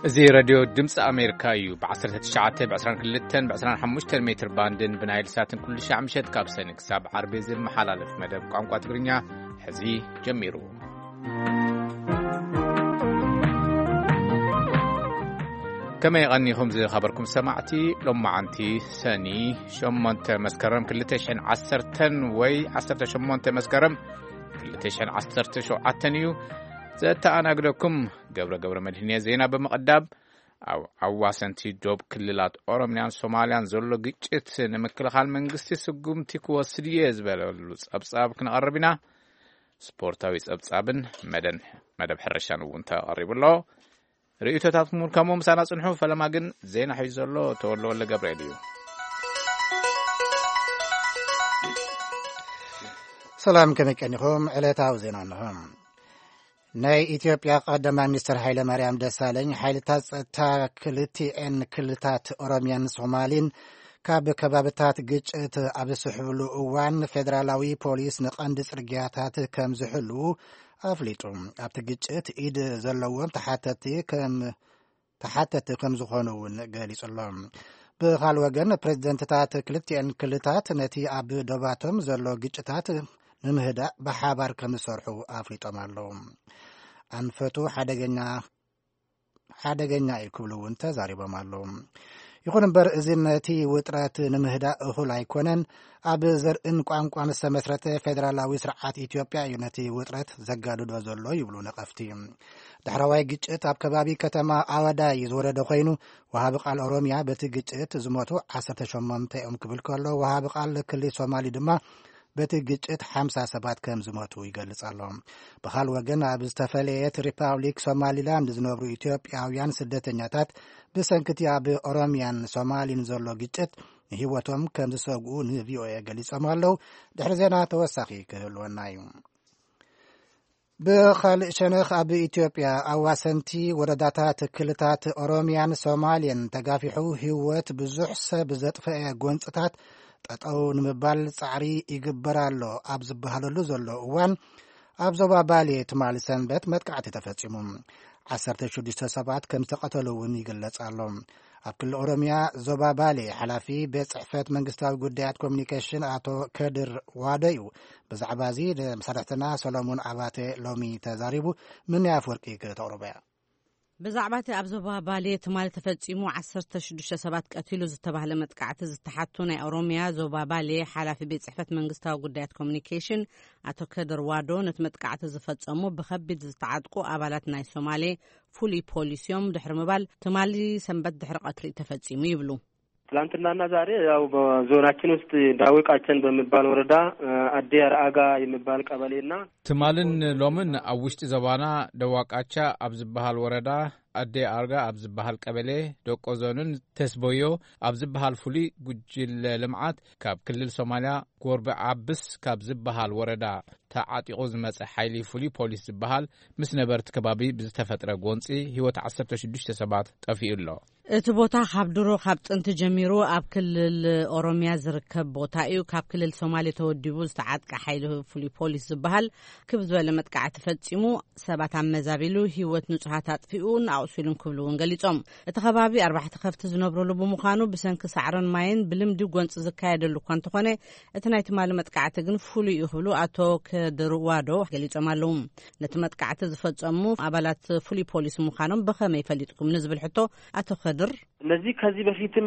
እዚ ሬድዮ ድምፂ ኣሜሪካ እዩ። ብ19፣ ብ22፣ ብ25 ሜትር ባንድን ብናይል ሳትን ኩሉ ሻዕ ምሸት ካብ ሰኒ ክሳብ ዓርቢ ዝመሓላለፍ መደብ ቋንቋ ትግርኛ ሕዚ ጀሚሩ። ከመይ ቀኒኹም ዝኸበርኩም ሰማዕቲ? ሎማዓንቲ ሰኒ ሸሞንተ መስከረም ክልተ ሽሕን ዓሰርተን ወይ ዓሰርተ ሸሞንተ መስከረም ክልተ ሽሕን ዓሰርተ ሸውዓተን እዩ። ዘተኣናግደኩም ገብረ ገብረ መድህን እየ። ዜና ብምቕዳም፣ ኣብ ኣዋሰንቲ ዶብ ክልላት ኦሮምያን ሶማልያን ዘሎ ግጭት ንምክልኻል መንግስቲ ስጉምቲ ክወስድ እየ ዝበለሉ ጸብጻብ ክነቐርብ ኢና። ስፖርታዊ ጸብጻብን መደን-፣ መደብ ሕርሻን እውን ተቐሪቡ ኣሎ። ርእይቶታትኩም ከምኡ ምሳና ጽንሑ። ፈለማ ግን ዜና ሒዙ ዘሎ ተወልደ ወልደ ገብርኤል እዩ። ሰላም፣ ከመይ ቀኒኹም? ዕለታዊ ዜና እንሆ። ናይ ኢትዮጵያ ቀዳማይ ሚኒስትር ሃይለ ማርያም ደሳለኝ፣ ሓይልታት ጸጥታ ክልቲኤን ክልታት ኦሮሚያን ሶማሊን ካብ ከባብታት ግጭት ኣብ ዝስሕብሉ እዋን፣ ፌደራላዊ ፖሊስ ንቐንዲ ጽርግያታት ከም ዝሕልዉ ኣፍሊጡ። ኣብቲ ግጭት ኢድ ዘለዎም ተሓተቲ ከም፣ ተሓተቲ ከም ዝኾኑ እውን ገሊጹ ኣሎ። ብኻል ወገን፣ ፕሬዚደንትታት ክልቲኤን ክልታት ነቲ ኣብ ዶባቶም ዘሎ ግጭታት ንምህዳእ ብሓባር ከም ዝሰርሑ ኣፍሊጦም ኣለዉ። ኣንፈቱ ሓደገኛ፣ ሓደገኛ እዩ ክብሉ እውን ተዛሪቦም ኣለዉ። ይኹን እምበር፣ እዚ ነቲ ውጥረት ንምህዳእ እኹል ኣይኮነን። ኣብ ዘርእን ቋንቋን ዝተመስረተ ፌደራላዊ ስርዓት ኢትዮጵያ እዩ ነቲ ውጥረት ዘጋድዶ ዘሎ ይብሉ ነቐፍቲ። ዳሕረዋይ ግጭት ኣብ ከባቢ ከተማ ኣወዳይ ዝወረደ ኮይኑ፣ ወሃቢ ቃል ኦሮሚያ በቲ ግጭት ዝሞቱ ዓሰርተ ሸሞንተ እዮም ክብል ከሎ፣ ወሃቢ ቃል ክልል ሶማሊ ድማ በቲ ግጭት ሓምሳ ሰባት ከም ዝሞቱ ይገልጽ ኣሎ። ብኻል ወገን፣ ኣብ ዝተፈለየት ሪፓብሊክ ሶማሊላንድ ዝነብሩ ኢትዮጵያውያን ስደተኛታት፣ ብሰንክቲ ኣብ ኦሮሚያን ሶማሊን ዘሎ ግጭት ንህይወቶም ከም ዝሰግኡ ንቪኦኤ ገሊጾም ኣለዉ። ድሕሪ ዜና ተወሳኺ ክህልወና እዩ። ብኻልእ ሸነኽ፣ ኣብ ኢትዮጵያ ኣዋሰንቲ ወረዳታት ክልታት ኦሮሚያን ሶማልያን ተጋፊሑ ህይወት ብዙሕ ሰብ ዘጥፈአ ጎንፅታት ጠጠው ንምባል ጻዕሪ ይግበር ኣሎ ኣብ ዝበሃለሉ ዘሎ እዋን፣ ኣብ ዞባ ባሌ ትማሊ ሰንበት መጥቃዕቲ ተፈጺሙ። ዓሰርተ ሽዱሽተ ሰባት ከም ዝተቐተሉ እውን ይግለጽ ኣሎ። ኣብ ክልል ኦሮሚያ ዞባ ባሌ፣ ሓላፊ ቤት ጽሕፈት መንግስታዊ ጉዳያት ኮሚኒኬሽን ኣቶ ከድር ዋዶ እዩ ብዛዕባ እዚ ንመሳርሕትና ሰሎሞን ኣባተ ሎሚ ተዛሪቡ። ምንያ ኣፍወርቂ ክተቕርቦ እያ። ብዛዕባ እቲ ኣብ ዞባ ባሌ ትማሊ ተፈጺሙ ዓሰርተ ሽዱሽተ ሰባት ቀቲሉ ዝተባህለ መጥቃዕቲ ዝተሓቱ ናይ ኦሮሚያ ዞባ ባሌ ሓላፊ ቤት ጽሕፈት መንግስታዊ ጉዳያት ኮሚኒኬሽን ኣቶ ከድር ዋዶ፣ ነቲ መጥቃዕቲ ዝፈጸሙ ብኸቢድ ዝተዓጥቁ ኣባላት ናይ ሶማሌ ፍሉይ ፖሊስ እዮም ድሕሪ ምባል፣ ትማሊ ሰንበት ድሕሪ ቀትሪ ተፈጺሙ ይብሉ። ትላንትናና ዛሬ ያው በዞናችን ውስጥ ዳዌ ቃቸን በሚባል ወረዳ፣ እ፣ አዴ አርአጋ የሚባል ቀበሌና ትማልን ሎምን ኣብ ውሽጢ ዞባና ደዋቃቻ ኣብ ዝበሃል ወረዳ፣ ኣዴ ኣርጋ ኣብ ዝበሃል ቀበሌ፣ ደቆ ዞንን ተስቦዮ ኣብ ዝበሃል ፍሉይ ጉጅለ ልምዓት፣ ካብ ክልል ሶማልያ ጎርበ ዓብስ ካብ ዝበሃል ወረዳ ተዓጢቑ ዝመጸ ሓይሊ ፍሉይ ፖሊስ ዝበሃል፣ ምስ ነበርቲ ከባቢ ብዝተፈጥረ ጎንጺ ህይወት ዓሰርተ ሽዱሽተ ሰባት ጠፊኡ ኣሎ። እቲ ቦታ ካብ ድሮ፣ ካብ ጥንቲ ጀሚሩ ኣብ ክልል ኦሮሚያ ዝርከብ ቦታ እዩ። ካብ ክልል ሶማሌ ተወዲቡ ዝተዓጥቀ ሓይሊ ፍሉይ ፖሊስ ዝበሃል ክብ ዝበለ መጥቃዕቲ ፈጺሙ፣ ሰባት ኣመዛቢሉ፣ ህይወት ንጹሃት ኣጥፊኡ፣ ንኣቑሲሉን ክብሉ እውን ገሊጾም። እቲ ከባቢ ኣርባዕተ ከፍቲ ዝነብሩሉ ብምዃኑ፣ ብሰንኪ ሳዕርን ማይን ብልምዲ ጎንጺ ዝካየደሉ እኳ እንተኾነ፣ እቲ ናይ ትማሊ መጥቃዕቲ ግን ፍሉይ እዩ ክብሉ ኣቶ ከድር ዋዶ ገሊጾም ኣለዉ። ነቲ መጥቃዕቲ ዝፈጸሙ ኣባላት ፍሉይ ፖሊስ ምዃኖም ብኸመይ ፈሊጥኩም ንዝብል ሕቶ ኣቶ ከድር፣ እነዚህ ከዚህ በፊትም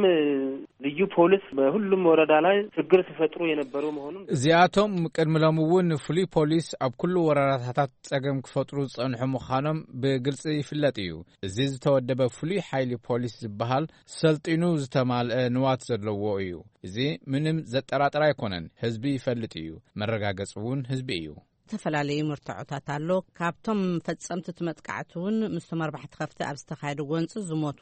ልዩ ፖሊስ በሁሉም ወረዳ ላይ ችግር ሲፈጥሩ የነበሩ መሆኑን እዚኣቶም ቅድሚ ሎም እውን ፍሉይ ፖሊስ ኣብ ኩሉ ወረዳታት ጸገም ክፈጥሩ ዝጸንሑ ምዃኖም ብግልጺ ይፍለጥ እዩ። እዚ ዝተወደበ ፍሉይ ሓይሊ ፖሊስ ዝበሃል ሰልጢኑ ዝተማልአ ንዋት ዘለዎ እዩ። እዚ ምንም ዘጠራጥር ኣይኮነን። ህዝቢ ይፈልጥ እዩ። መረጋገጺ እውን ህዝቢ እዩ። ዝተፈላለዩ መርትዖታት ኣሎ። ካብቶም ፈጸምቲ እቲ መጥቃዕቲ እውን ምስቶም ኣርባዕተ ከፍቲ ኣብ ዝተኻየደ ጎንፂ ዝሞቱ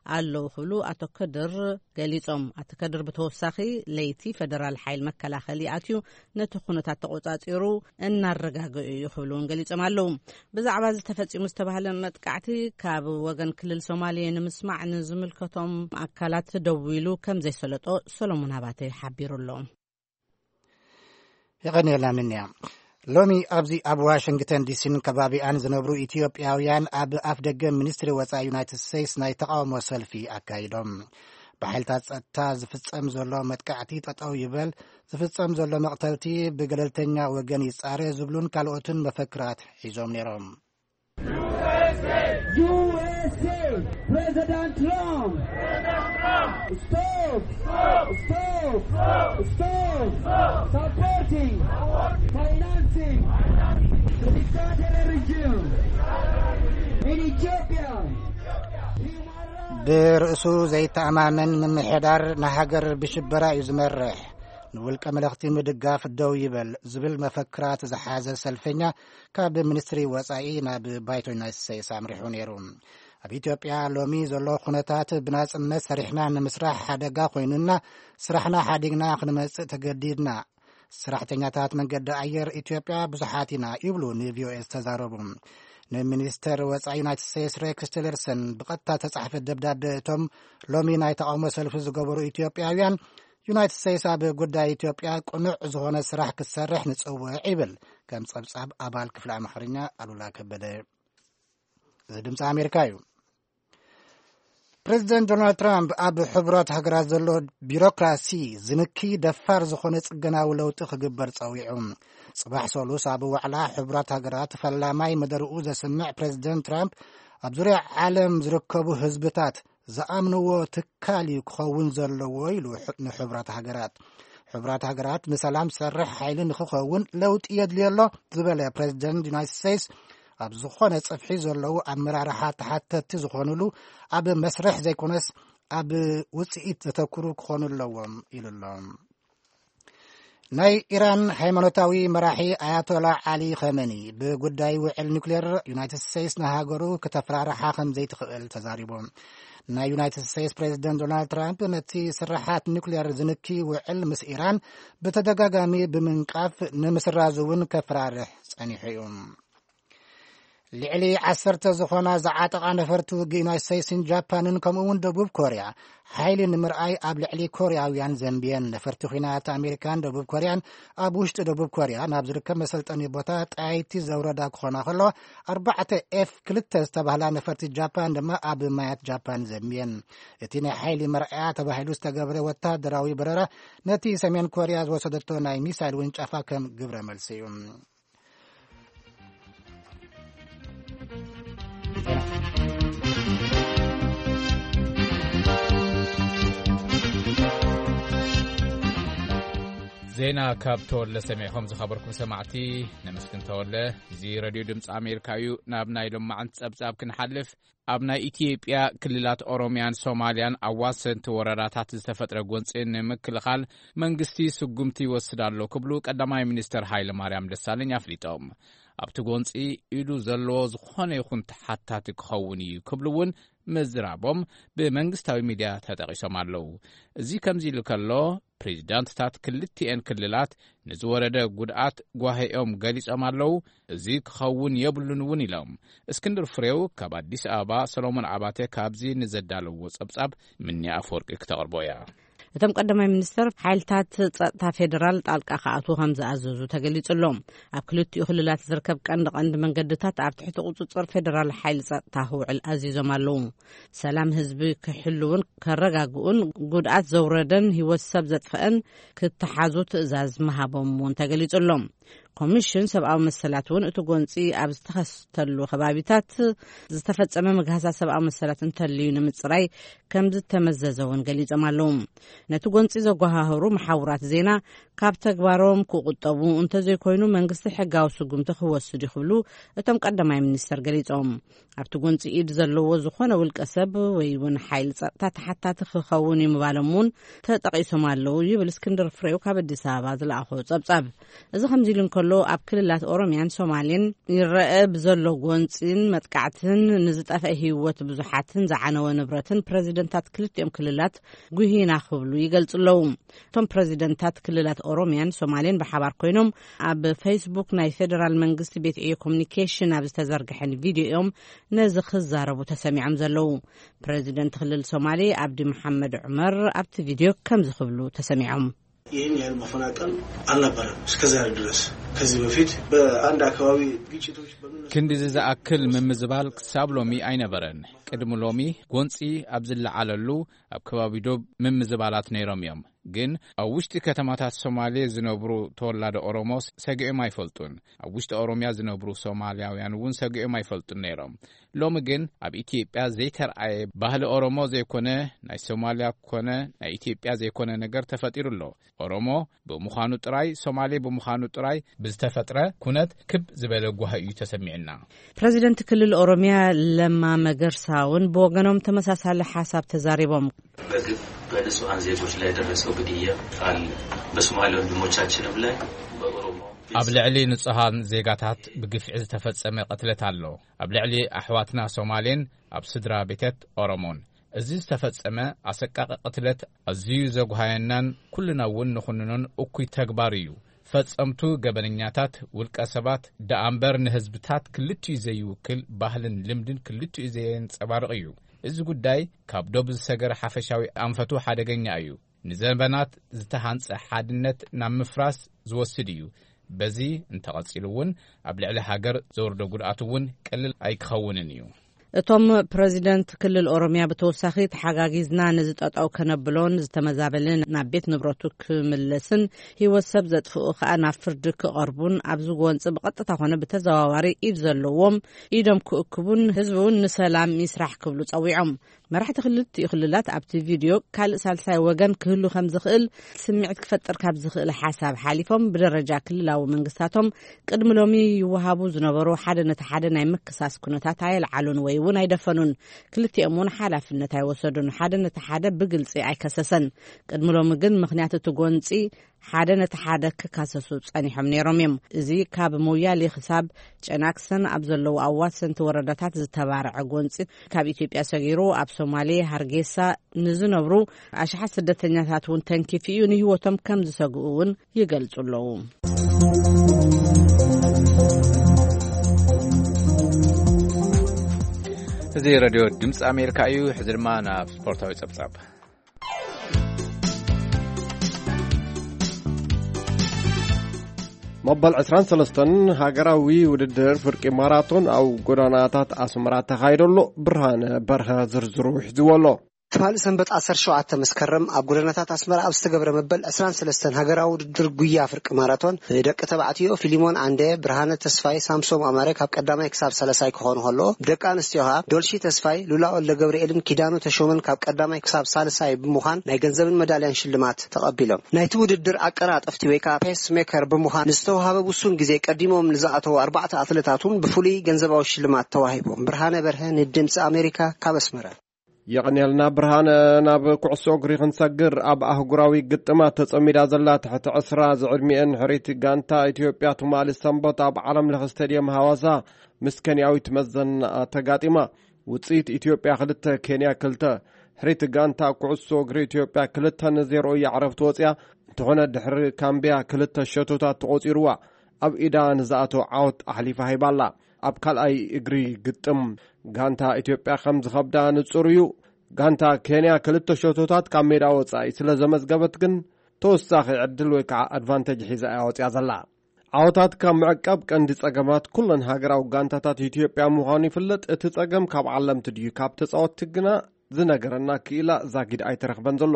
ኣለዉ ክብሉ ኣቶ ከድር ገሊጾም። ኣቶ ከድር ብተወሳኺ ለይቲ ፈደራል ሓይል መከላኸሊ ኣትዩ ነቲ ኩነታት ተቆጻጺሩ እናረጋገኡ እዩ ክብሉ እውን ገሊጾም ኣለዉ። ብዛዕባ እዚ ተፈጺሙ ዝተባህለ መጥቃዕቲ ካብ ወገን ክልል ሶማሌ ንምስማዕ ንዝምልከቶም ኣካላት ደዊሉ ከም ዘይሰለጦ ሰሎሞን ኣባተ ሓቢሩ ኣሎ። የቐንየልና ምንያ። ሎሚ ኣብዚ ኣብ ዋሽንግተን ዲሲን ከባቢኣን ዝነብሩ ኢትዮጵያውያን ኣብ ኣፍ ደገ ሚኒስትሪ ወጻኢ ዩናይትድ ስቴትስ ናይ ተቓውሞ ሰልፊ ኣካይዶም። ብሓይልታት ጸጥታ ዝፍጸም ዘሎ መጥቃዕቲ ጠጠው ይበል፣ ዝፍጸም ዘሎ መቕተልቲ ብገለልተኛ ወገን ይጻረ ዝብሉን ካልኦትን መፈክራት ሒዞም ነይሮም። U S A, President Trump. Stop, stop, stop supporting, financing the dictatorial regime in Ethiopia. ብርእሱ ዘይተኣማመን ምምሕዳር ንሃገር ብሽበራ እዩ ዝመርሕ፣ ንውልቀ መለኽቲ ምድጋፍ ደው ይበል ዝብል መፈክራት ዝሓዘ ሰልፈኛ ካብ ሚኒስትሪ ወጻኢ ናብ ባይቶ ዩናይትድ ስቴትስ ኣምሪሑ ነይሩ። ኣብ ኢትዮጵያ ሎሚ ዘሎ ኩነታት ብናጽነት ሰሪሕና ንምስራሕ ሓደጋ ኮይኑና፣ ስራሕና ሓዲግና ክንመጽእ ተገዲድና፣ ሰራሕተኛታት መንገዲ ኣየር ኢትዮጵያ ብዙሓት ኢና ይብሉ ንቪኦኤ ዝተዛረቡ። ንሚኒስተር ወጻኢ ዩናይትድ ስቴትስ ሬክስ ቲለርሰን ብቐጥታ ተጻሕፈ ደብዳቤ እቶም ሎሚ ናይ ተቓውሞ ሰልፊ ዝገበሩ ኢትዮጵያውያን፣ ዩናይትድ ስቴትስ ኣብ ጉዳይ ኢትዮጵያ ቅኑዕ ዝኾነ ስራሕ ክትሰርሕ ንጽውዕ ይብል። ከም ጸብጻብ ኣባል ክፍሊ ኣምሓርኛ ኣሉላ ከበደ። እዚ ድምፂ ኣሜሪካ እዩ። ፕሬዚደንት ዶናልድ ትራምፕ ኣብ ሕቡራት ሃገራት ዘሎ ቢሮክራሲ ዝንኪ ደፋር ዝኾነ ጽገናዊ ለውጢ ክግበር ጸዊዑ። ጽባሕ ሰሉስ ኣብ ዋዕላ ሕቡራት ሃገራት ፈላማይ መደርኡ ዘስምዕ ፕሬዚደንት ትራምፕ፣ ኣብ ዙርያ ዓለም ዝርከቡ ህዝብታት ዝኣምንዎ ትካል እዩ ክኸውን ዘለዎ ኢሉ ንሕቡራት ሃገራት። ሕቡራት ሃገራት ንሰላም ዝሰርሕ ሓይሊ ንክኸውን ለውጢ የድልዮ ኣሎ ዝበለ ፕሬዚደንት ዩናይትድ ስቴትስ፣ ኣብ ዝኾነ ጽፍሒ ዘለዉ ኣመራርሓ ተሓተቲ ዝኾኑሉ ኣብ መስርሕ ዘይኮነስ ኣብ ውጽኢት ዘተኩሩ ክኾኑ ኣለዎም ኢሉ ኣሎ። ናይ ኢራን ሃይማኖታዊ መራሒ ኣያቶላ ዓሊ ኸመኒ ብጉዳይ ውዕል ኒውክሌር ዩናይትድ ስቴትስ ንሃገሩ ክተፈራርሓ ከም ዘይትኽእል ተዛሪቡ። ናይ ዩናይትድ ስቴትስ ፕሬዚደንት ዶናልድ ትራምፕ ነቲ ስርሓት ኒውክሌር ዝንኪ ውዕል ምስ ኢራን ብተደጋጋሚ ብምንቃፍ ንምስራዝ እውን ከፈራርሕ ጸኒሑ እዩ። ልዕሊ ዓሰርተ ዝኾና ዝዓጠቓ ነፈርቲ ውግእ ዩናይትድ ስቴትስን ጃፓንን ከምኡ እውን ደቡብ ኮርያ ሓይሊ ንምርኣይ ኣብ ልዕሊ ኮርያውያን ዘንብየን። ነፈርቲ ኲናት ኣሜሪካን ደቡብ ኮርያን ኣብ ውሽጢ ደቡብ ኮርያ ናብ ዝርከብ መሰልጠኒ ቦታ ጣይቲ ዘውረዳ ክኾና ከሎ፣ ኣርባዕተ ኤፍ ክልተ ዝተባህላ ነፈርቲ ጃፓን ድማ ኣብ ማያት ጃፓን ዘንብየን። እቲ ናይ ሓይሊ መርኣያ ተባሂሉ ዝተገብረ ወታደራዊ በረራ ነቲ ሰሜን ኮርያ ዝወሰደቶ ናይ ሚሳይል ውንጨፋ ከም ግብረ መልሲ እዩ። ዜና ካብ ተወለ ሰሚዕኹም ዝኸበርኩም ሰማዕቲ ነመስግን ተወለ። እዚ ረድዮ ድምፂ ኣሜሪካ እዩ። ናብ ናይ ሎማዓንቲ ጸብጻብ ክንሓልፍ፣ ኣብ ናይ ኢትዮጵያ ክልላት ኦሮሚያን ሶማልያን ኣዋሰንቲ ወረዳታት ዝተፈጥረ ጎንፂ ንምክልኻል መንግስቲ ስጉምቲ ይወስድ ኣሎ ክብሉ ቀዳማይ ሚኒስትር ሃይለ ማርያም ደሳለኝ ኣፍሊጦም። ኣብቲ ጎንፂ ኢዱ ዘለዎ ዝኾነ ይኹን ተሓታቲ ክኸውን እዩ ክብሉ እውን ምዝራቦም ብመንግስታዊ ሚድያ ተጠቒሶም ኣለዉ። እዚ ከምዚ ኢሉ ከሎ፣ ፕሬዚዳንትታት ክልቲኤን ክልላት ንዝወረደ ጉድኣት ጓሂኦም ገሊጾም ኣለዉ። እዚ ክኸውን የብሉን እውን ኢሎም። እስክንድር ፍሬው ካብ ኣዲስ ኣበባ፣ ሰሎሞን ኣባተ ካብዚ ንዘዳለዎ ጸብጻብ ምኒ ኣፈወርቂ ክተቕርቦ እያ። እቶም ቀዳማይ ሚኒስትር ሓይልታት ጸጥታ ፌደራል ጣልቃ ክኣትዉ ከም ዝኣዘዙ ተገሊጹ ኣሎ። ኣብ ክልቲኡ ክልላት ዝርከብ ቀንዲ ቀንዲ መንገድታት ኣብ ትሕቲ ቁጽጽር ፌደራል ሓይሊ ጸጥታ ክውዕል ኣዚዞም ኣለዉ። ሰላም ህዝቢ ክሕልውን ከረጋግኡን ጉድኣት ዘውረደን ህይወት ሰብ ዘጥፈአን ክተሓዙ ትእዛዝ ምሃቦም እውን ተገሊጹ ኣሎ። ኮሚሽን ሰብኣዊ መሰላት እውን እቲ ጎንፂ ኣብ ዝተኸስተሉ ከባቢታት ዝተፈጸመ ምግሃሳት ሰብኣዊ መሰላት እንተልዩ ንምፅራይ ከም ዝተመዘዘ እውን ገሊጾም ኣለዉ። ነቲ ጎንፂ ዘጓሃህሩ መሓውራት ዜና ካብ ተግባሮም ክቁጠቡ፣ እንተዘይኮይኑ መንግስቲ ሕጋዊ ስጉምቲ ክወስድ እዩ ክብሉ እቶም ቀዳማይ ሚኒስተር ገሊጾም። ኣብቲ ጎንፂ ኢድ ዘለዎ ዝኾነ ውልቀ ሰብ ወይ እውን ሓይሊ ጸጥታ ተሓታቲ ክኸውን እዩ ምባሎም እውን ተጠቒሶም ኣለዉ ይብል እስክንድር ፍሬው ካብ ኣዲስ ኣበባ ዝለኣኾ ጸብጻብ። እዚ ከምዚ ኢሉ እንከሎ፣ ኣብ ክልላት ኦሮሚያን ሶማሌን ይረአ ብዘሎ ጎንፂን መጥቃዕትን ንዝጠፍአ ህይወት ብዙሓትን ዝዓነወ ንብረትን ፕረዚደንታት ክልቲኦም ክልላት ጉሂና ክብሉ ይገልጹ ኣለዉ። እቶም ፕረዚደንታት ክልላት ኦሮሚያን ሶማሌን ብሓባር ኮይኖም ኣብ ፌስቡክ ናይ ፌደራል መንግስቲ ቤት ዕዮ ኮሚኒኬሽን ኣብ ዝተዘርግሐን ቪድዮ እዮም ነዚ ክዛረቡ ተሰሚዖም ዘለዉ። ፕረዚደንት ክልል ሶማሌ ኣብዲ መሓመድ ዑመር ኣብቲ ቪድዮ ከምዚ ክብሉ ተሰሚዖም። ይህን ያህል መፈናቀል አልነበረም እስከዛሬ ድረስ። ከዚህ በፊት በአንድ አካባቢ ግጭቶች በምን ክንዲዚ ዝኣክል ምምዝባል ክሳብ ሎሚ ኣይነበረን። ቅድሚ ሎሚ ጎንፂ ኣብ ዝለዓለሉ ኣብ ከባቢ ዶብ ምምዝባላት ነይሮም እዮም። ግን ኣብ ውሽጢ ከተማታት ሶማሌ ዝነብሩ ተወላዶ ኦሮሞ ሰጊኦም ኣይፈልጡን። ኣብ ውሽጢ ኦሮሚያ ዝነብሩ ሶማልያውያን እውን ሰጊኦም ኣይፈልጡን ነይሮም። ሎሚ ግን ኣብ ኢትዮጵያ ዘይተርኣየ፣ ባህሊ ኦሮሞ ዘይኮነ፣ ናይ ሶማልያ ኮነ ናይ ኢትዮጵያ ዘይኮነ ነገር ተፈጢሩ ኣሎ። ኦሮሞ ብምዃኑ ጥራይ፣ ሶማሌ ብምዃኑ ጥራይ ብዝተፈጥረ ኩነት ክብ ዝበለ ጓሂ እዩ ተሰሚዕና። ፕረዚደንት ክልል ኦሮሚያ ለማ መገርሳ እውን ብወገኖም ተመሳሳሊ ሓሳብ ተዛሪቦም። በግፍ በንጹሐን ዜጎች ላይ የደረሰው ግድያ አለ። በሶማሌ ወንድሞቻችንም ላይ በኦሮሞ ኣብ ልዕሊ ንጹሃን ዜጋታት ብግፍዒ ዝተፈጸመ ቅትለት ኣሎ። ኣብ ልዕሊ ኣሕዋትና ሶማሌን ኣብ ስድራ ቤተት ኦሮሞን እዚ ዝተፈጸመ ኣሰቃቂ ቅትለት ኣዝዩ ዘጉሃየናን ኩልና እውን ንኹንኖን እኩይ ተግባር እዩ። ፈጸምቱ ገበነኛታት ውልቀ ሰባት ደኣ እምበር ንህዝብታት ክልቲኡ ዘይውክል ባህልን ልምድን ክልቲኡ ዘየንጸባርቕ እዩ። እዚ ጉዳይ ካብ ዶብ ዝሰገረ ሓፈሻዊ ኣንፈቱ ሓደገኛ እዩ። ንዘበናት ዝተሃንጸ ሓድነት ናብ ምፍራስ ዝወስድ እዩ። በዚ እንተቐጺሉ እውን ኣብ ልዕሊ ሃገር ዘውርዶ ጉድኣት እውን ቀሊል ኣይክኸውንን እዩ። እቶም ፕረዚደንት ክልል ኦሮሚያ ብተወሳኺ ተሓጋጊዝና ነዚ ጠጠው ከነብሎን ዝተመዛበለ ናብ ቤት ንብረቱ ክምለስን ህይወት ሰብ ዘጥፍኡ ከኣ ናብ ፍርዲ ክቐርቡን ኣብዚ ጎንፂ ብቐጥታ ኮነ ብተዘዋዋሪ ኢድ ዘለዎም ኢዶም ክእክቡን ህዝቢ እውን ንሰላም ይስራሕ ክብሉ ጸዊዖም። መራሕቲ ክልቲኡ ክልላት ኣብቲ ቪድዮ ካልእ ሳልሳይ ወገን ክህሉ ከም ዝኽእል ስምዒት ክፈጥር ካብ ዝኽእል ሓሳብ ሓሊፎም ብደረጃ ክልላዊ መንግስታቶም ቅድሚ ሎሚ ይወሃቡ ዝነበሩ ሓደ ነቲ ሓደ ናይ ምክሳስ ኩነታት ኣየልዓሉን ወይ እውን ኣይደፈኑን። ክልቲኦም እውን ሓላፍነት ኣይወሰዱን። ሓደ ነቲ ሓደ ብግልጺ ኣይከሰሰን። ቅድሚ ሎሚ ግን ምኽንያት እቲ ጎንጺ ሓደ ነቲ ሓደ ክካሰሱ ጸኒሖም ነይሮም እዮም። እዚ ካብ ሞያሌ ክሳብ ጨናክሰን ኣብ ዘለዉ ኣዋሰንቲ ወረዳታት ዝተባረዐ ጎንጺ ካብ ኢትዮጵያ ሰጊሩ ኣብ ሶማሌ ሃርጌሳ ንዝነብሩ ኣሽሓት ስደተኛታት እውን ተንኪፉ እዩ። ንህይወቶም ከም ዝሰግኡ እውን ይገልጹ ኣለዉ። እዚ ሬድዮ ድምፂ ኣሜሪካ እዩ። ሕዚ ድማ ናብ ስፖርታዊ ጸብጻብ። መበል ዕስራን ሰለስተን ሃገራዊ ውድድር ፍርቂ ማራቶን ኣብ ጎደናታት ኣስመራ ተኻይዶ ኣሎ። ብርሃነ በርሀ ዝርዝሩ ሒዝዎ ኣሎ። ትማሊ ሰንበት ዓሰርተ ሸውዓተ መስከረም ኣብ ጎደናታት ኣስመራ ኣብ ዝተገብረ መበል ዕስራን ሰለስተን ሃገራዊ ውድድር ጉያ ፍርቂ ማራቶን ብደቂ ተባዕትዮ ፊሊሞን ዓንደ፣ ብርሃነ ተስፋይ፣ ሳምሶም ኣማረ ካብ ቀዳማይ ክሳብ ሳልሳይ ክኾኑ ከለዉ፣ ብደቂ ኣንስትዮ ከኣ ዶልሺ ተስፋይ፣ ሉላ ወልደ ገብርኤልን ኪዳኑ ተሾመን ካብ ቀዳማይ ክሳብ ሳልሳይ ብምዃን ናይ ገንዘብን መዳልያን ሽልማት ተቐቢሎም። ናይቲ ውድድር ኣቀላጠፍቲ ወይ ከኣ ፔስ ሜከር ብምዃን ንዝተዋሃበ ውሱን ግዜ ቀዲሞም ንዝኣተዉ ኣርባዕተ ኣትለታት እውን ብፍሉይ ገንዘባዊ ሽልማት ተዋሂቦም። ብርሃነ በርሀ ንድምፂ ኣሜሪካ ካብ ኣስመራ። የቐንየልና ብርሃነ። ናብ ኩዕሶ እግሪ ክንሰግር፣ ኣብ ኣህጉራዊ ግጥማት ተጸሚዳ ዘላ ትሕቲ ዕስራ ዝዕድሚኤን ሕርይቲ ጋንታ ኢትዮጵያ ትማሊ ሰንበት ኣብ ዓለም ለኸ ስቴድየም ሃዋሳ ምስ ኬንያዊት መዘና ተጋጢማ። ውጽኢት ኢትዮጵያ ክልተ ኬንያ ክልተ። ሕርይቲ ጋንታ ኩዕሶ እግሪ ኢትዮጵያ ክልተ ንዜሮ እያ ዕረፍቲ ወጽያ። እንተኾነ ድሕሪ ካምቢያ ክልተ ሸቶታት ተቖጺርዋ ኣብ ኢዳ ንዝኣተወ ዓወት ኣሕሊፋ ሂባላ። ኣብ ካልኣይ እግሪ ግጥም ጋንታ ኢትዮጵያ ከም ዝኸብዳ ንጹር እዩ። ጋንታ ኬንያ ክልተ ሸቶታት ካብ ሜዳ ወጻኢ ስለ ዘመዝገበት ግን ተወሳኺ ዕድል ወይ ከዓ ኣድቫንቴጅ ሒዛ እያ ወጽያ ዘላ። ዓወታት ካብ ምዕቃብ ቀንዲ ጸገማት ኩለን ሃገራዊ ጋንታታት ኢትዮጵያ ምዃኑ ይፍለጥ። እቲ ጸገም ካብ ዓለምቲ ድዩ ካብ ተጻወትቲ ግና ዝነገረና ክኢላ ዛጊድ ኣይተረኽበን ዘሎ።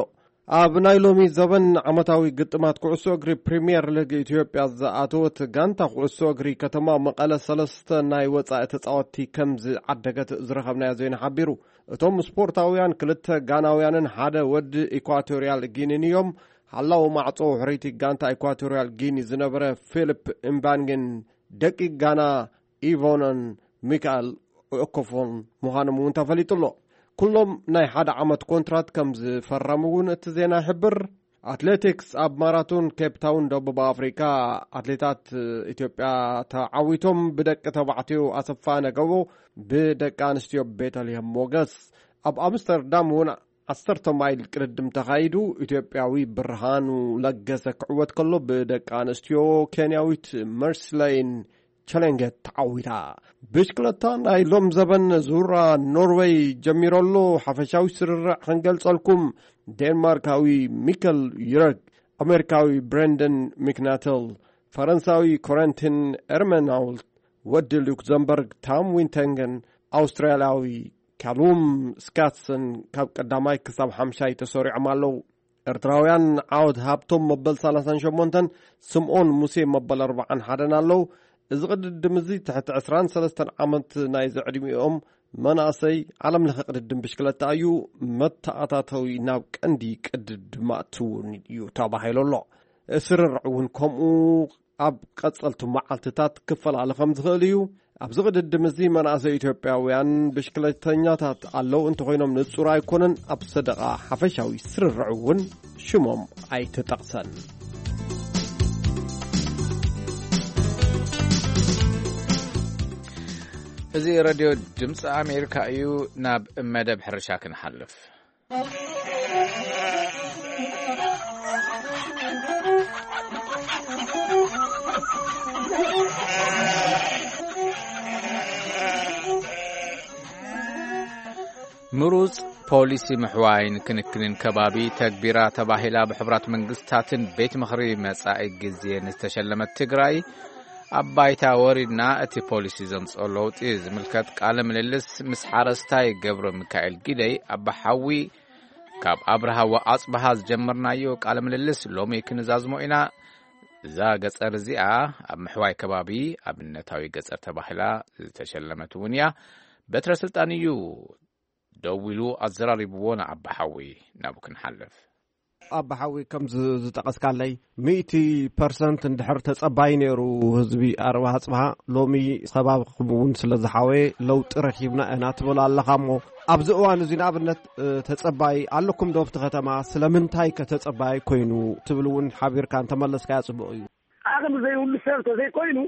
ኣብ ናይ ሎሚ ዘበን ዓመታዊ ግጥማት ኩዕሶ እግሪ ፕሪምየር ሊግ ኢትዮጵያ ዝኣተወት ጋንታ ኩዕሶ እግሪ ከተማ መቐለ ሰለስተ ናይ ወጻኢ ተጻወትቲ ከም ዝዓደገት ዝረኸብናዮ ዜና ሓቢሩ። እቶም ስፖርታውያን ክልተ ጋናውያንን ሓደ ወዲ ኢኳቶርያል ጊኒን እዮም። ሓላው ማዕጾ ሕርይቲ ጋንታ ኢኳቶርያል ጊኒ ዝነበረ ፊሊፕ እምባንግን ደቂ ጋና ኢቮነን ሚካኤል ኦኮፎን ምዃኖም እውን ተፈሊጡ ኣሎ። ኩሎም ናይ ሓደ ዓመት ኮንትራት ከም ዝፈረሙ እውን እቲ ዜና ይሕብር። ኣትሌቲክስ፣ ኣብ ማራቶን ኬፕ ታውን ደቡብ ኣፍሪካ ኣትሌታት ኢትዮጵያ ተዓዊቶም። ብደቂ ተባዕትዮ ኣሰፋ ነገቦ፣ ብደቂ ኣንስትዮ ቤተልሔም ሞገስ። ኣብ ኣምስተርዳም እውን ዓሰርተ ማይል ቅድድም ተኻይዱ። ኢትዮጵያዊ ብርሃኑ ለገሰ ክዕወት ከሎ፣ ብደቂ ኣንስትዮ ኬንያዊት መርስለይን ቸሌንጌት ተዓዊታ። ብሽክለታ ናይ ሎም ዘበን ዙራ ኖርዌይ ጀሚሮ ኣሎ። ሓፈሻዊ ስርርዕ ክንገልጸልኩም፣ ዴንማርካዊ ሚከል ዩረግ፣ ኣሜሪካዊ ብሬንደን ሚክናተል፣ ፈረንሳዊ ኮረንቲን ኤርመናውልት፣ ወዲ ሉክዘምበርግ ታም ዊንተንገን፣ ኣውስትራልያዊ ካሉም ስካትሰን ካብ ቀዳማይ ክሳብ ሓምሻይ ተሰሪዖም ኣለዉ። ኤርትራውያን ዓወት ሃብቶም መበል ሰላሳን ሸሞንተን፣ ስምኦን ሙሴ መበል ኣርባዓን ሓደን ኣለዉ። እዚ ቅድድም እዚ ትሕቲ ዕስራን ሰለስተን ዓመት ናይ ዘዕድሚኦም መናእሰይ ዓለም ለኸ ቅድድም ብሽክለታ እዩ። መተኣታተዊ ናብ ቀንዲ ቅድድም ኣትውን እዩ ተባሂሉ ኣሎ። ስርርዕ እውን ከምኡ ኣብ ቀጸልቲ መዓልትታት ክፈላለ ከም ዝኽእል እዩ። ኣብዚ ቅድድም እዚ መናእሰይ ኢትዮጵያውያን ብሽክለተኛታት ኣለዉ እንተኾይኖም ንጹር ኣይኮነን። ኣብ ሰደቓ ሓፈሻዊ ስርርዕ እውን ሽሞም ኣይተጠቕሰን። እዚ ሬድዮ ድምፂ ኣሜሪካ እዩ። ናብ መደብ ሕርሻ ክንሓልፍ። ምሩጽ ፖሊሲ ምሕዋይን ክንክንን ከባቢ ተግቢራ ተባሂላ ብሕቡራት መንግስታትን ቤት ምኽሪ መጻኢ ግዜ ንዝተሸለመት ትግራይ፣ ኣብ ባይታ ወሪድና እቲ ፖሊሲ ዘምጽኦ ለውጢ ዝምልከት ቃለ ምልልስ ምስ ሓረስታይ ገብረ ሚካኤል ጊደይ ኣባሓዊ ካብ ኣብርሃ ወኣጽብሃ ዝጀመርናዮ ቃለ ምልልስ ሎሚ ክንዛዝሞ ኢና። እዛ ገጸር እዚኣ ኣብ ምሕዋይ ከባቢ ኣብነታዊ ገጸር ተባሂላ ዝተሸለመት እውን እያ። በትረ ስልጣን እዩ ደው ኢሉ ኣዘራሪብዎ ንኣባሓዊ። ናብኡ ክንሓልፍ። ኣባሓዊ ከም ዝ-፣ ዝጠቐስካለይ፣ ሚእቲ ፐርሰንት እንድሕር ተጸባይ ነይሩ ህዝቢ ኣርባ ኣጽብሃ፣ ሎሚ ከባቢ ክምውን ስለ ዝሓወየ ለውጢ ረኺብና ኢና ትብል ኣለኻ እሞ፣ ኣብዚ እዋን እዚ ንኣብነት፣ እ፣ ተጸባይ ኣለኩም ዶ ኣብቲ ከተማ? ስለምንታይ ከ ተጸባይ ኮይኑ ትብል እውን ሓቢርካ እንተመለስካያ ጽቡቕ እዩ። ዓቕሚ ዘይብሉ ሰብ ተዘይኮይኑ፣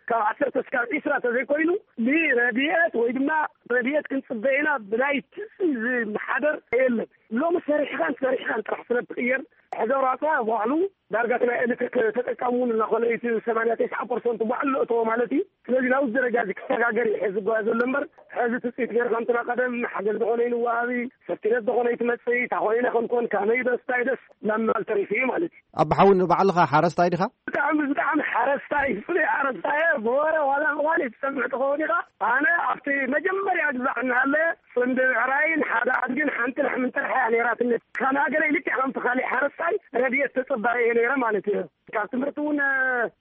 ካብ ዓሰርተ እስካብ ዒስራ ተዘይኮይኑ፣ ንረድኤት ወይ ድማ ረድኤት ክንጽበ ኢና ብናይ ትጽቢት ዝመሓደር የለን። ሎሚ ሰሪሕኻን ሰሪሕኻን ጥራሕ ስለ እትቕየር፣ ሕዚ ኣውራፃ ባዕሉ ዳርጋ እቲ ናይ ኤሌክትሪክ ተጠቃሚ እውን እናኾነ እዩ፣ እቲ ሰማንያ ተስዓ ፐርሰንት ባዕሉ ለእተዎ ማለት እዩ። ስለዚ ናብዚ ደረጃ እዚ ክሰጋገር እዩ ሕዚ ዝጓየ ዘሎ እምበር፣ ሕዚ ትፅቢት ገይርካ እንትና ቀደም ሓገዝ ዝኾነ ይንዋሃቢ፣ ሰፍቲነት ዝኾነ ይትመፅእ፣ እንታይ ኮይነ ክንኮን፣ ካመይ ደስ፣ እንታይ ደስ፣ ናብ ምባል ተሪፉ እዩ ማለት እዩ። ኣባሓዊ ንባዕልኻ ሓረስታይ ዲኻ? ብጣዕሚ፣ ብጣዕሚ ሓረስታይ፣ ፍሉይ ሓረስታይ እየ። ብወረ ዋላ ዋላ ትሰምዕ ትኸውን ኢኻ። ኣነ ኣብቲ መጀመርያ ግዛዕ እናሃለ ጽምዲ ብዕራይን ሓደ ኣድግን ሓንቲ ላሕምን ጥራሕ እያ ነይራትኒ። ካብ ሃገረይ ልክዕ ከምቲ ካሊእ ሓረስታይ ረድኤት ተጸባኢ እየ ነይረ ማለት እዩ። ካብ ትምህርቲ እውን፣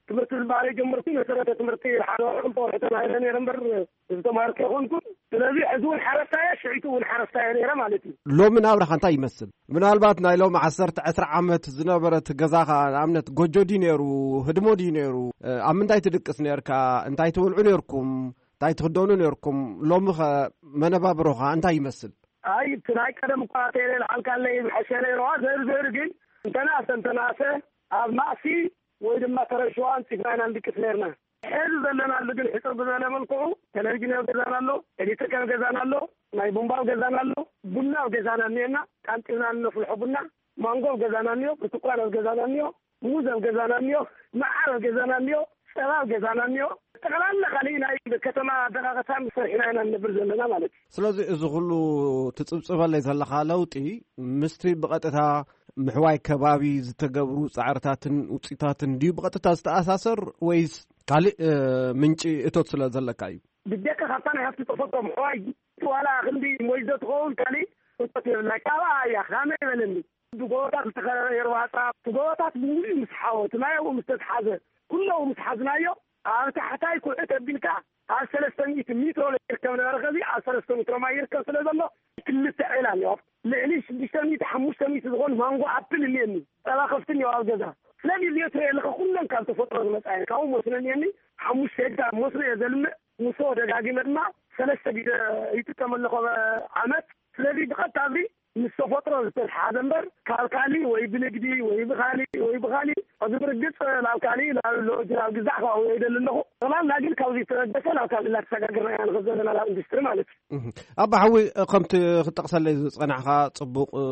ትምህርቲ ዝባህሪ ጀመርኩ። መሰረተ ትምህርቲ ሓደ ወርሒ ክልተ ወርሒ ተማሂረ ነይረ እምበር ዝተማሃርኩ ኣይኮንኩን። ስለዚ ሕዚ እውን ሓረስታይ እየ፣ ሽዒቱ እውን ሓረስታይ እየ ነይረ ማለት እዩ። ሎሚ ናብራኻ እንታይ ይመስል? ምናልባት ናይ ሎሚ ዓሰርተ ዕስራ ዓመት ዝነበረት ገዛኻ፣ ንኣብነት ጎጆ ድዩ ነይሩ? ህድሞ ድዩ ነይሩ? እ፣ ኣብ ምንታይ ትድቅስ ነርካ? እንታይ ትበልዑ ነርኩም? እንታይ ትኽደኑ ነርኩም? ሎሚ ኸ መነባብሮኻ እንታይ ይመስል? ኣይ፣ እቲ ናይ ቀደም እኳ ተይለ ልዓልካለይ ምሐሸ ነይርዋ። ዘር ዘር ግን እንተናሰ፣ እንተናሰ ኣብ ማእሲ ወይ ድማ ተረሽዋ ኣንጺፍና ኢና ንድቅስ ነርና። ሕዚ ዘለናሉ ግን ሕጽር ብዘለ መልክዑ ቴሌቪዥን ኣብ ገዛና ኣሎ፣ ኤሌክትሪክ ኣብ ገዛና ኣሎ፣ ናይ ቡምባ ኣብ ገዛና ኣሎ፣ ቡና ኣብ ገዛና እኒአና፣ ቃንጢብና እነፍልሖ ቡና፣ ማንጎ ኣብ ገዛና እኒኦ፣ ብርቱኳን ኣብ ገዛና እኒኦ፣ ሙዝ ኣብ ገዛና እኒኦ፣ መዓር ኣብ ገዛና እኒኦ፣ ጸባ ኣብ ገዛና እኒኦ፣ ጠቕላላ ካሊእ ናይ ከተማ ኣደቃቐታን ሰሪሕና ኢና ንነብር ዘለና ማለት እዩ። ስለዚ እዚ ኩሉ ትጽብጽበለይ ዘለኻ ለውጢ ምስቲ ብቐጥታ ምሕዋይ ከባቢ ዝተገብሩ ጻዕርታትን ውጽኢታትን ድዩ ብቐጥታ ዝተኣሳሰር ወይስ ካልእ፣ እ፣ ምንጪ እቶት ስለ ዘለካ እዩ? ብጀካ ካብታ ናይ ሃፍቲ ተፈጥሮ ምሕዋይ ዋላ ክንዲ ሞይዞ ትኸውን ካልእ እቶት የብልና። ካብኣ እያ፣ ካመ ይበለኒ። እቲ ጎቦታት ዝተኸበበ የርዋጻ፣ እቲ ጎቦታት ብምሉኡ ምስ ሓወ፣ እቲ ማይ ኣብኡ ምስ ተትሓዘ፣ ኩሉ ምስ ሓዝናዮ፣ ኣብ ታሕታይ ኩዕት ኣቢልካ ኣብ ሰለስተ ሚእቲ ሜትሮ ይርከብ ነበረ። ከዚ ኣብ ሰለስተ ሜትሮ ማይ ይርከብ ስለ ዘሎ፣ ክልተ ዒላ እኒኦ። ልዕሊ ሽዱሽተ ሚእቲ፣ ሓሙሽተ ሚእቲ ዝኾኑ ማንጎ ኣፕል እኒአኒ። ጸባ ከፍቲ እኒኦ ኣብ ገዛ። ስለዚ እዚኦ ትሪኦ ኣለኻ፣ ኩለን ካብ ተፈጥሮ ዝመጻ እየን። ካብኡ መስኖ እኒአኒ፣ ሓሙሽተ ሄክታር መስኖ እየ ዘልምዕ። ንሶ ደጋጊመ ድማ ሰለስተ ግዜ ይጥቀመሉ ኮ-፣ ዓመት። ስለዚ ብቐጥታ ኣብዚ ምስ ተፈጥሮ ዝተተሓሓዘ እምበር፣ ካብ ካሊእ ወይ ብንግዲ ወይ ብኻሊእ ወይ ብኻሊእ፣ እዚ ብርግጽ ናብ ካሊእ፣ ናብ ሎጅ፣ ናብ ግዛዕ ክኣውዮ ይደሊ ኣለኹ። ጠቕላላ ግን ካብዚ ዝተበገሰ ናብ ካሊእ እናተሰጋገርና ኢና ንኸድ ዘለና፣ ናብ ኢንዱስትሪ ማለት እዩ። እህ። ኣባ ሓዊ፣ ከምቲ ክትጠቕሰለይ ዝጸናሕካ፣ ጽቡቕ፣ እ፣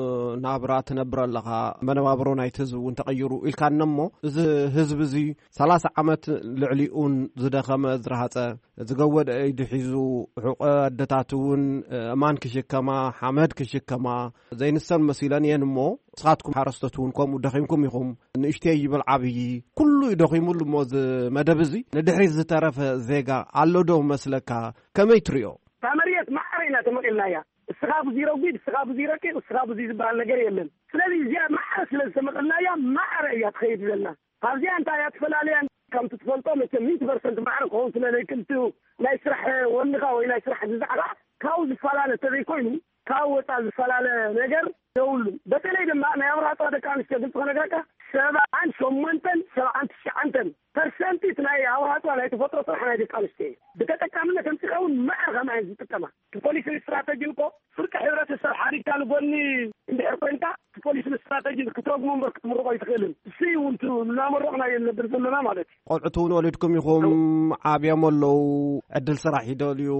ናብራ ትነብር ኣለኻ፣ መነባብሮ ናይቲ ህዝቢ እውን ተቐይሩ ኢልካኒ እሞ፣ እዚ ህዝቢ እዚ ሰላሳ ዓመት ልዕሊኡን ዝደኸመ፣ ዝረሃጸ፣ ዝገወደ ኢዱ ሒዙ፣ ሕቖ ኣደታት እውን፣ እ፣ እማን ክሽከማ፣ ሓመድ ክሽከማ፣ ዘይንሰን መሲለን እየን። እሞ ንስኻትኩም ሓረስቶት እውን ከምኡ ደኺምኩም ኢኹም። ንእሽተይ ይበል ዓብዪ፣ ኩሉ እዩ ደኺሙሉ። እሞ እዚ መደብ እዚ ንድሕሪት ዝተረፈ ዜጋ ኣሎ ዶ መስለካ? ከመይ ትሪኦ? እታ መሬት ማዕረ ኢና ተመቒልናያ። እስኻ ብዙይ ረጒድ፣ እስኻ ብዙይ ረቂቕ፣ እስኻ ብዙይ ዝበሃል ነገር የለን። ስለዚ እዚኣ ማዕረ ስለ ዝተመቐልናያ ማዕረ እያ ትኸይድ ዘላ። ኣብዚኣ እንታይ እያ ትፈላለያ? ከምቲ ትፈልጦ መቸም ሚእቲ ፐርሰንት ማዕረ ክኸውን ስለ ዘይክእል፣ ናይ ስራሕ ወንኻ ወይ ናይ ስራሕ ግዛዕኻ ካብኡ ዝፈላለ ተዘይኮይኑ፣ ካብኡ ወፃእ ዝፈላለ ነገር የብሉን። በተለይ ድማ ናይ ኣብርሃ ደቂ ኣንስትዮ ግልፂ ክነግረካ፣ ሰብዓን ሸሞንተን ሰብዓን ትሽዓንተን ፐርሰንት እቲ ናይ ኣብርሃ ናይ ተፈጥሮ ስራሕ ናይ ደቂ ኣንስትዮ እዩ። ብተጠቃምነት ኣምፂኻ እውን ማዕረ ከምኣ እየን ዝጥቀማ። እቲ ፖሊስን ስትራተጂን እኮ ፍርቂ ሕብረተሰብ ሓሪግካ ንጎኒ እንድሕር ኮይንካ፣ እቲ ፖሊስን ስትራተጂን ክትረግሞ እምበር ክትምርቆ ኣይትኽእልን። እሱ እውን እናመረቕና እዮም ነብር ዘለና ማለት እዩ። ቆልዑት እውን ወሊድኩም ኢኹም፣ ዓብዮም ኣለዉ፣ ዕድል ስራሕ ይደልዩ፣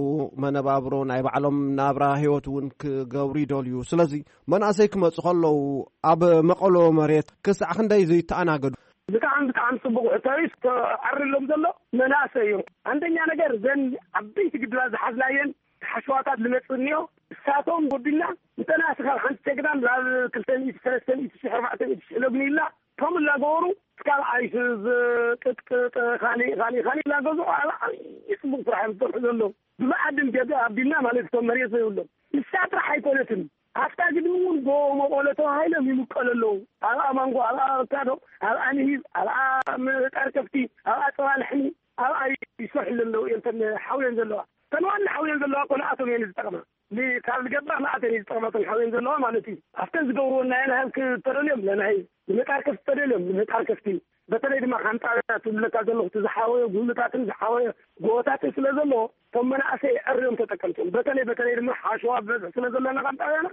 መነባብሮ ናይ ባዕሎም ናብራ ህይወት እውን ክገብሩ ይደልዩ። ስለዚ መናእሰይ ክመፁ ከለዉ ኣብ መቐሎ መሬት ክሳዕ ክንደይ ዘይተኣናገዱ? ብጣዕሚ ብጣዕሚ ፅቡቅ ሕቶ እዩ። ተዓርሎም ዘሎ መናእሰይ እዮም። አንደኛ ነገር ዘን ዓበይቲ ግድባት ዝሓዝናየን ሓሸዋታት ዝመፅእ እኒኦ፣ እሳቶም ጎዲልና እንተናስኻ ሓንቲ ጀግና ናብ ክልተ ሚእቲ ሰለስተ ሚእቲ ሺሕ ኣርባዕተ ሚእቲ ሺሕ ለጉኒላ ከም እናገበሩ እስካብ ኣይሱዝ ቅጥቅጥ ካሊእ ካሊእ ካሊእ እናገዝኡ ኣብ ዓብዪ ፅቡቅ ስራሕ እዮም ዝሰርሑ ዘለዉ። ብመኣድን ገዛ ኣቢልና ማለት እቶም መሬት ዘይብሎም ንሳ ጥራሕ ኣይኮነትን። ኣብታ ግድሚ እውን ጎቦ መቐሎ ተባሂሎም ይምቀሉ ኣለዉ። ኣብኣ ማንጎ፣ ኣብኣ ኣቮካዶ፣ ኣብኣ ንሂብ፣ ኣብኣ ምጣር ከፍቲ፣ ኣብኣ ፀባ ላሕሚ፣ ኣብኣ ይሰርሑ ዘለዉ እዮም እተን ሓውዮን ዘለዋ። እተን ዋና ሓውዮን ዘለዋ እኮ ንኣቶም እየን ዝጠቕማ። ን-፣ ካብ ዝገባር ንኣተን እየን ዝጠቕማ እተን ሓውዮን ዘለዋ ማለት እዩ። ኣብተን ዝገብርዎ ናይ ንሃብ ክተደልዮም ንናሂብ፣ ንምጣር ከፍቲ ተደልዮም ንምጣር ከፍቲ። በተለይ ድማ ከም ጣብያ ትብለካ ዘለኹ እቲ ዝሓወዮ ጉልታትን ዝሓወዮ ጎቦታትን ስለ ዘለዎ እቶም መናእሰይ ኣዕርዮም ተጠቀምቶም። በተለይ በተለይ ድማ ሓሸዋ ብበዝሒ ስለ ዘለና ከም ጣብያና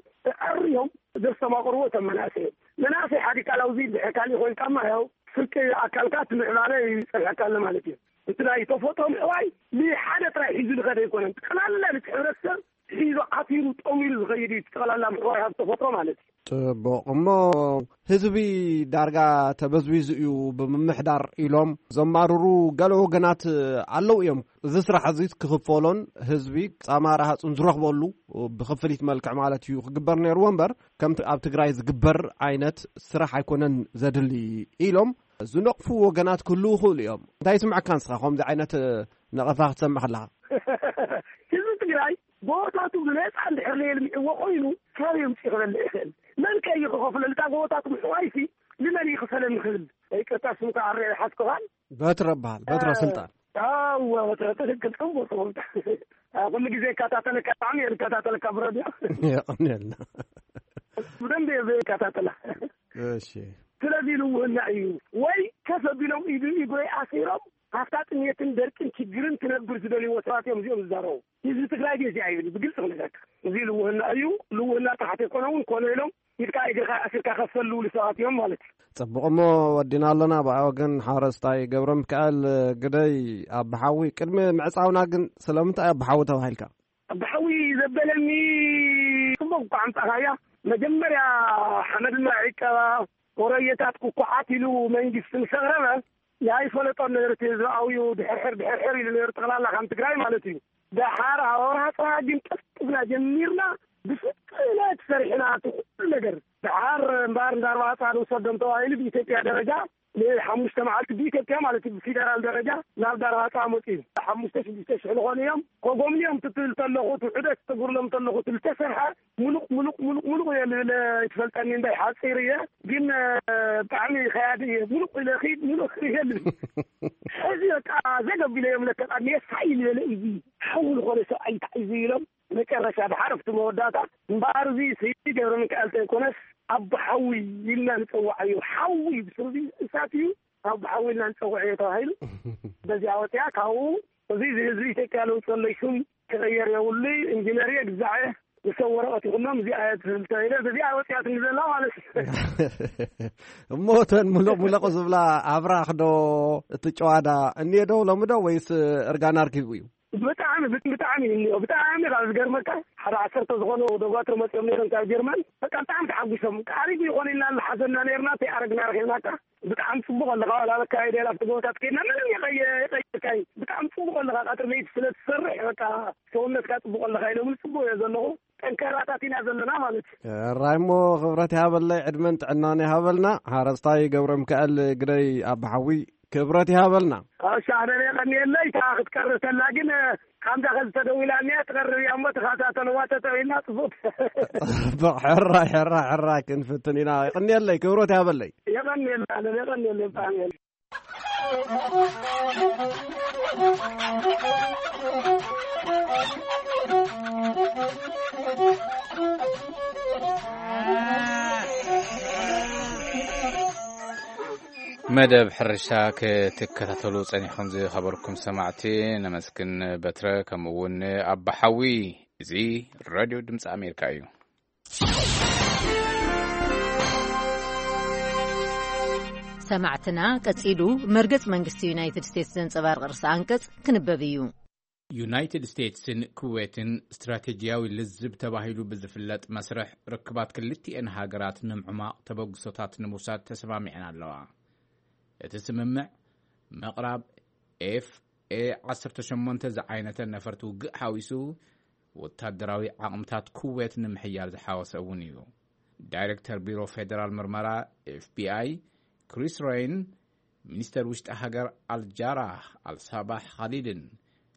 ኣዕርዮም ዘስተማቕርዎ እቶም መናእሰይ እዮም። መናእሰይ ሓዲካ ላውዚ ድሕር ካሊእ ኮይንካማ ያው ፍርቂ ኣካልካ እቲ ምዕባለ ይጸንሐካ ኣሎ ማለት እዩ። እቲ ናይ ተፈጥሮ ምዕባይ ንሓደ ጥራይ ሒዙ ዝኸደ ኣይኮነን። ጠቕላላ ነቲ ሕብረተሰብ ሒዙ ዓቲሩ ጠሚሩ ዝኸይድ እዩ። እቲ ጠቕላላ ምዕባይ ሃብቲ ተፈጥሮ ማለት እዩ። ጽቡቕ። እሞ ህዝቢ ዳርጋ ተበዝቢዙ እዩ፣ ብምምሕዳር ኢሎም ዘማርሩ ገለ ወገናት ኣለዉ እዮም። እዚ ስራሕ እዚ ክኽፈሎን ህዝቢ ጻማ ረሃጹን ዝረኽበሉ ብክፍሊት መልክዕ ማለት እዩ ክግበር ነይርዎ እምበር፣ ከምቲ ኣብ ትግራይ ዝግበር ዓይነት ስራሕ ኣይኮነን ዘድሊ ኢሎም ዝነቕፉ ወገናት ክህልዉ ይኽእሉ እዮም። እንታይ ይስምዐካ ንስኻ ከምዚ ዓይነት ነቐፋ ክትሰምዕ ከለኻ? ህዝቢ ትግራይ ጎቦታቱ ብነፃ እንድሕር ነየልሚዕዎ ኮይኑ፣ ካበይ ኣምፂኡ ክበልዕ ይኽእል? መን ከ እዩ ክኸፍለሉ? እታ ጎቦታቱ ምሕዋይሲ ንመን እዩ ክፈለኒ ክብል? ይቅርታ፣ ስምካ ኣረ ይሓስኩኻን። በትረ በሃል፣ በትረ እ፣ ስልጣን። ኣወ፣ በትረ ትክክል፣ ጽቡቅ፣ ጽቡቅ። እ፣ ኩሉ ግዜ ይከታተለካ፣ ብጣዕሚ እየ ዝከታተለካ ብረድዮ። የቐንየልና። ብደንብ እየ ዝከታተላ። እሺ። ስለዚ ልውህና እዩ። ወይ ከፍ ኣቢሎም ኢዱ ኢጎይ ኣሲሮም፣ ካብታ ጥሜትን ደርቅን ችግርን ክነብር ዝደልይዎ ሰባት እዮም እዚኦም ዝዛረቡ። ህዝቢ ትግራይ ግን እዚኣ ይብል፣ ብግልፂ ክነግረካ። እዚ ልውህና እዩ። ልውህና ጥሓት የኮነ እውን ኮነ ኢሎም ኢድካ እግርካ ኣሲርካ ከፈል ዝብሉ ሰባት እዮም ማለት እዩ። ጽቡቕ፣ እሞ ወዲና ኣለና። ብኣይ ወገን ሓረስታይ ገብረ ሚካኤል ግደይ ኣባሓዊ፣ ቅድሚ ምዕጻውና ግን ስለምንታይ ኣባሓዊ ተባሂልካ? ኣባሓዊ ዘበለኒ ጽቡቕ እኳ ኣምጻኻያ። መጀመርያ ሓመድና ዒቀባ፣ ወረየታት ኩኩዓት ኢሉ መንግስቲ ምስ ኣቕረበ፣ ኣይፈለጦን ነይሩ እቲ ህዝቢ ኣብዩ ድሕርሕር ድሕርሕር ኢሉ ነይሩ፣ ጠቕላላ ከም ትግራይ ማለት እዩ። ደሓር ኣብ ኣብርሃ ጽባሕ ግን ቀልጢፍና ጀሚርና፣ ብፍጥነት ሰሪሕና እቲ ኩሉ ነገር። ደሓር እምበኣር እንዳ ኣርባዕተ ንውሰዶም ተባሂሉ ብኢትዮጵያ ደረጃ ንሓሙሽተ መዓልቲ ብኢትዮጵያ ማለት እዩ፣ ብፌደራል ደረጃ ናብ ዳርባፃ መፅኡ። ሓሙሽተ ሽዱሽተ ሽሕ ዝኾኑ እዮም። ከጎብንዮም ትትብል ተለኹ፣ እቲ ዑደት ተጉርሎም ተለኹ፣ እቲ ዝተሰርሐ ሙሉቕ፣ ሙሉቕ፣ ሙሉቕ፣ ሙሉቕ እየ ልብል፣ ኣይትፈልጠኒ እንታይ ሓፂር እየ፣ ግን፣ እ፣ ብጣዕሚ ከያዲ እየ። ሙሉቕ ኢለ ኺድ፣ ሙሉቕ እየ ልብል። ሕዚ በቃ ዘገብ ኢለ እዮም ለተቃኒ፣ የሳይ ዝበለ እዩ። ሓው ዝኾነ ሰብኣይ እንታይ እዩ ኢሎም፣ መጨረሻ ድሓር ኣብቲ መወዳእታ እምበኣር፣ እዚ ስይዲ ገብረ ሚካኤል ተይኮነስ፣ ኣቦ ሓዊ ኢልና ንጸውዓዮ። ሓዊ ብስሩ እዚ እሳት እዩ፣ ኣቦ ሓዊ ኢልና ንጸውዓዮ ተባሂሉ። በዚኣ ወፂኣ፣ ካብኡ እዚ ህዝቢ ኢትዮጵያ ለውጢ ዘሎ ሽም ክቕየር የብሉ፣ ኢንጂነር እየ፣ ግዛዕ እየ፣ ንሰብ ወረቐት ይኹኖም፣ እዚኣ እየ ትብል ተባሂለ፣ በዚኣ ወፂኣትኒ ዘላ ማለት እዩ። እሞ እተን ሙለቕ ሙለቕ ዝብላ ኣብራኽ ዶ፣ እቲ ጨዋዳ እኒኤ ዶ ሎሚ ዶ፣ ወይስ እርጋና ኣርኪቡ እዩ? ብጣዕሚ፣ ብጣዕሚ እዩ እኒኦ። ብጣዕሚ ካብ ዝገርመካ፣ ሓደ ዓሰርተ ዝኾኑ ዶጓትር መፂኦም ነይሮም ካብ ጀርመን። በቃ ብጣዕሚ ተሓጒሶም። "ቃሪጉ ይኾን ኢልና እናሓዘና ነይርና፣ ተይኣረግና ረኺብናካ። ብጣዕሚ ፅቡቕ ኣለኻ፣ ዋላ በካ ኣይደላ ኣብቲ ጎቦታት ከይድና ምንም የቐየ-፣ የቐየርካይ። ብጣዕሚ ፅቡቕ ኣለኻ፣ ቀትሪ ለይቲ ስለ ትሰርሕ፣ በቃ ሰውነትካ ፅቡቕ ኣለኻ" ኢሎምኒ። ፅቡቕ እየ ዘለኹ። እንከራታት ኢና ዘለና ማለት እዩ። ራይሞ፣ ክብረት ይሃበለይ፣ ዕድመን ጥዕናን ይሃበልና። ሓረስታይ ገብረ ሚካኤል ግደይ ኣባሓዊ፣ ክብረት ይሃበልና። እሺ፣ ኣነ የቐንየለይ። እታ ክትቀርብ ተላ ግን፣ ከምዛ ከዚ ተደዊላኒ እያ፣ ትቐርብ እያ እሞ ተኸታተልዋ፣ ተተዊልና ጽቡቅ። ጽቡቅ፣ ሕራይ፣ ሕራይ፣ ሕራይ ክንፍትን ኢና። የቐንየለይ፣ ክብረት ይሃበለይ። የቐንየለይ፣ ኣነ የቐንየለይ ብጣዕሚ። መደብ ሕርሻ ክትከታተሉ ጸኒኹም ዝኸበርኩም ሰማዕቲ ነመስግን። በትረ ከምኡ እውን ኣባሓዊ። እዚ ሬድዮ ድምፂ ኣሜሪካ እዩ። ሰማዕትና፣ ቀጺሉ መርገጽ መንግስቲ ዩናይትድ ስቴትስ ዘንጸባርቕ ርእሰ ኣንቀጽ ክንበብ እዩ። ዩናይትድ ስቴትስን ኩዌትን ስትራቴጂያዊ ልዝብ ተባሂሉ ብዝፍለጥ መስርሕ ርክባት ክልቲኤን ሃገራት ንምዕማቕ ተበግሶታት ንምውሳድ ተሰማሚዐን ኣለዋ። እቲ ስምምዕ ምቕራብ ኤፍ ኤ ዓሰርተ ሸሞንተ ዝዓይነተ ነፈርቲ ውግእ ሓዊሱ፣ ወታደራዊ ዓቕምታት ኩዌት ንምሕያል ዝሓወሰ እውን እዩ። ዳይሬክተር ቢሮ ፌደራል ምርመራ ኤፍ ቢ ኣይ ክሪስ ሬይን፣ ሚኒስተር ውሽጢ ሃገር ኣልጃራህ ኣልሳባሕ ኻሊድን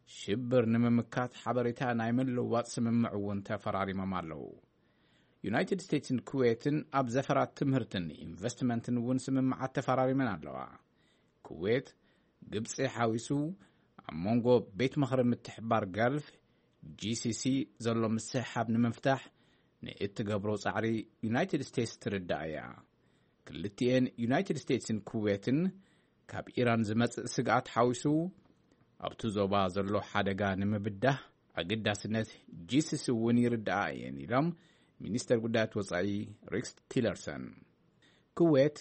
ሽብር ንምምካት ሓበሬታ ናይ ምልውዋጥ ስምምዕ እውን ተፈራሪሞም ኣለዉ። ዩናይትድ ስቴትስን ኩዌትን ኣብ ዘፈራት ትምህርትን ኢንቨስትመንትን እውን ስምምዓት ተፈራሪመን ኣለዋ። ኩዌት፣ ግብጺ ሓዊሱ፣ ኣብ መንጎ ቤት ምኽሪ ምትሕብባር ገልፍ፣ ጂ ሲ ሲ፣ ዘሎ ምስሕሓብ ንምፍታሕ ንእትገብሮ ጻዕሪ ዩናይትድ ስቴትስ ትርዳእ እያ። ክልቲኤን ዩናይትድ ስቴትስን ኩዌትን ካብ ኢራን ዝመጽእ ስግኣት ሓዊሱ ኣብቲ ዞባ ዘሎ ሓደጋ ንምብዳህ ኣገዳስነት ጂ ሲ ሲ እውን ይርድኣ እየን ኢሎም ሚኒስተር ጉዳያት ወጻኢ ሪክስ ቲለርሰን። ኩዌት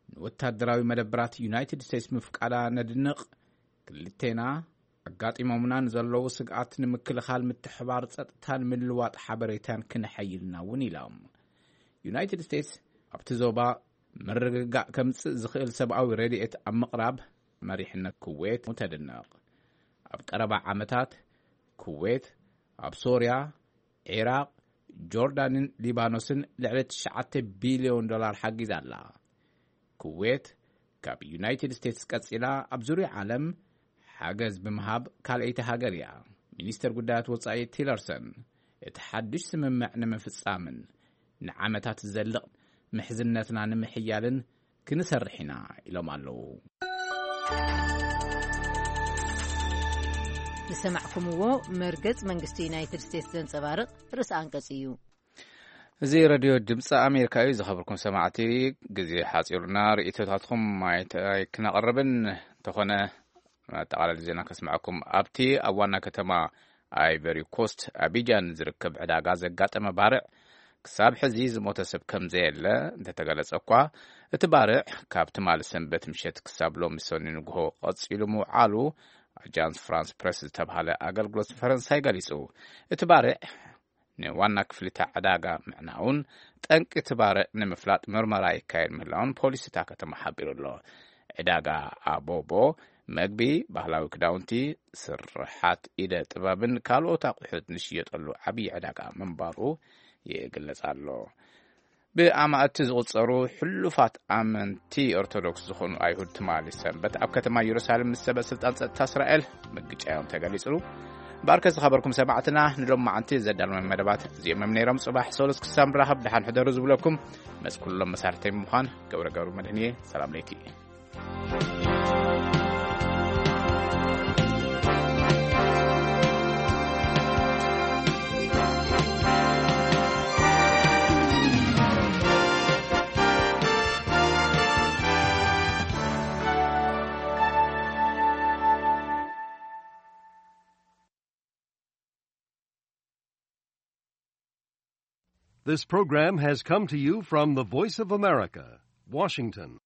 ንወታደራዊ መደብራት ዩናይትድ ስቴትስ ምፍቃዳ ነድንቕ። ክልቴና ኣጋጢሞምና ንዘለዉ ስግኣት ንምክልኻል ምትሕባር ጸጥታን ምልዋጥ ሓበሬታን ክነሐይልና እውን ኢሎም። ዩናይትድ ስቴትስ ኣብቲ ዞባ ምርግጋእ ከምጽእ ዝኽእል ሰብኣዊ ረድኤት ኣብ ምቕራብ መሪሕነት ኩዌት ተድንቕ። ኣብ ቀረባ ዓመታት ኩዌት ኣብ ሶርያ፣ ዒራቕ፣ ጆርዳንን ሊባኖስን ልዕሊ ትሽዓተ ቢልዮን ዶላር ሓጊዛ ኣላ። ኩዌት ካብ ዩናይትድ ስቴትስ ቀጺላ ኣብ ዙርያ ዓለም ሓገዝ ብምሃብ ካልኣይቲ ሃገር እያ። ሚኒስተር ጉዳያት ወጻኢ ቲለርሰን፣ እቲ ሓድሽ ስምምዕ ንምፍጻምን ንዓመታት ዝዘልቕ ምሕዝነትና ንምሕያልን ክንሰርሕ ኢና ኢሎም ኣለዉ። ዝሰማዕኩምዎ መርገጽ መንግስቲ ዩናይትድ ስቴትስ ዘንጸባርቕ ርእሰ ኣንቀጽ እዩ። እዚ ሬድዮ ድምፂ ኣሜሪካ እዩ። ዝኸበርኩም ሰማዕቲ፣ ግዜ ሓፂሩና ርእይቶታትኩም ኣይተ-፣ ኣይክነቕርብን እንተኾነ፣ መጠቓለሊ ዜና ከስምዐኩም። ኣብቲ ኣብ ዋና ከተማ ኣይቨሪ ኮስት ኣቢጃን ዝርከብ ዕዳጋ ዘጋጠመ ባርዕ ክሳብ ሕዚ ዝሞተ ሰብ ከም ዘየለ እንተተገለጸ እኳ፣ እቲ ባርዕ ካብ ትማሊ ሰንበት ምሸት ክሳብ ሎሚ ሰኒ ንግሆ ቀጺሉ ምውዓሉ ኣጃንስ ፍራንስ ፕረስ ዝተባህለ ኣገልግሎት ፈረንሳይ ገሊጹ። እቲ ባርዕ ንዋና ክፍሊታ ዕዳጋ ምዕናውን ጠንቂ እቲ ባርዕ ንምፍላጥ ምርመራ ይካየድ ምህላውን ፖሊስ እታ ከተማ ሓቢሩ ኣሎ። ዕዳጋ ኣቦቦ መግቢ፣ ባህላዊ ክዳውንቲ፣ ስርሓት ኢደ ጥበብን ካልኦት ኣቑሑት ዝሽየጠሉ ዓብዪ ዕዳጋ ምንባሩ ይግለጽ ኣሎ። ብኣማእቲ ዝቑጸሩ ሕሉፋት ኣመንቲ ኦርቶዶክስ ዝኾኑ ኣይሁድ ትማሊ ሰንበት ኣብ ከተማ ኢየሩሳሌም ምስ ሰበ ስልጣን ጸጥታ እስራኤል ምግጫዮም ተገሊጹ። እምበኣርከ ዝኸበርኩም ሰማዕትና፣ ንሎማዓንቲ ዘዳለመ መደባት እዚኦም እዮም ነይሮም። ጽባሕ ሰሉስ ክሳብ ንራኸብ ደሓን ሕደሩ ዝብለኩም መስ ኩሎም መሳርሕተይ ብምዃን ገብረ ገብሩ መድህንየ። ሰላም ለይኪ። This program has come to you from the Voice of America, Washington.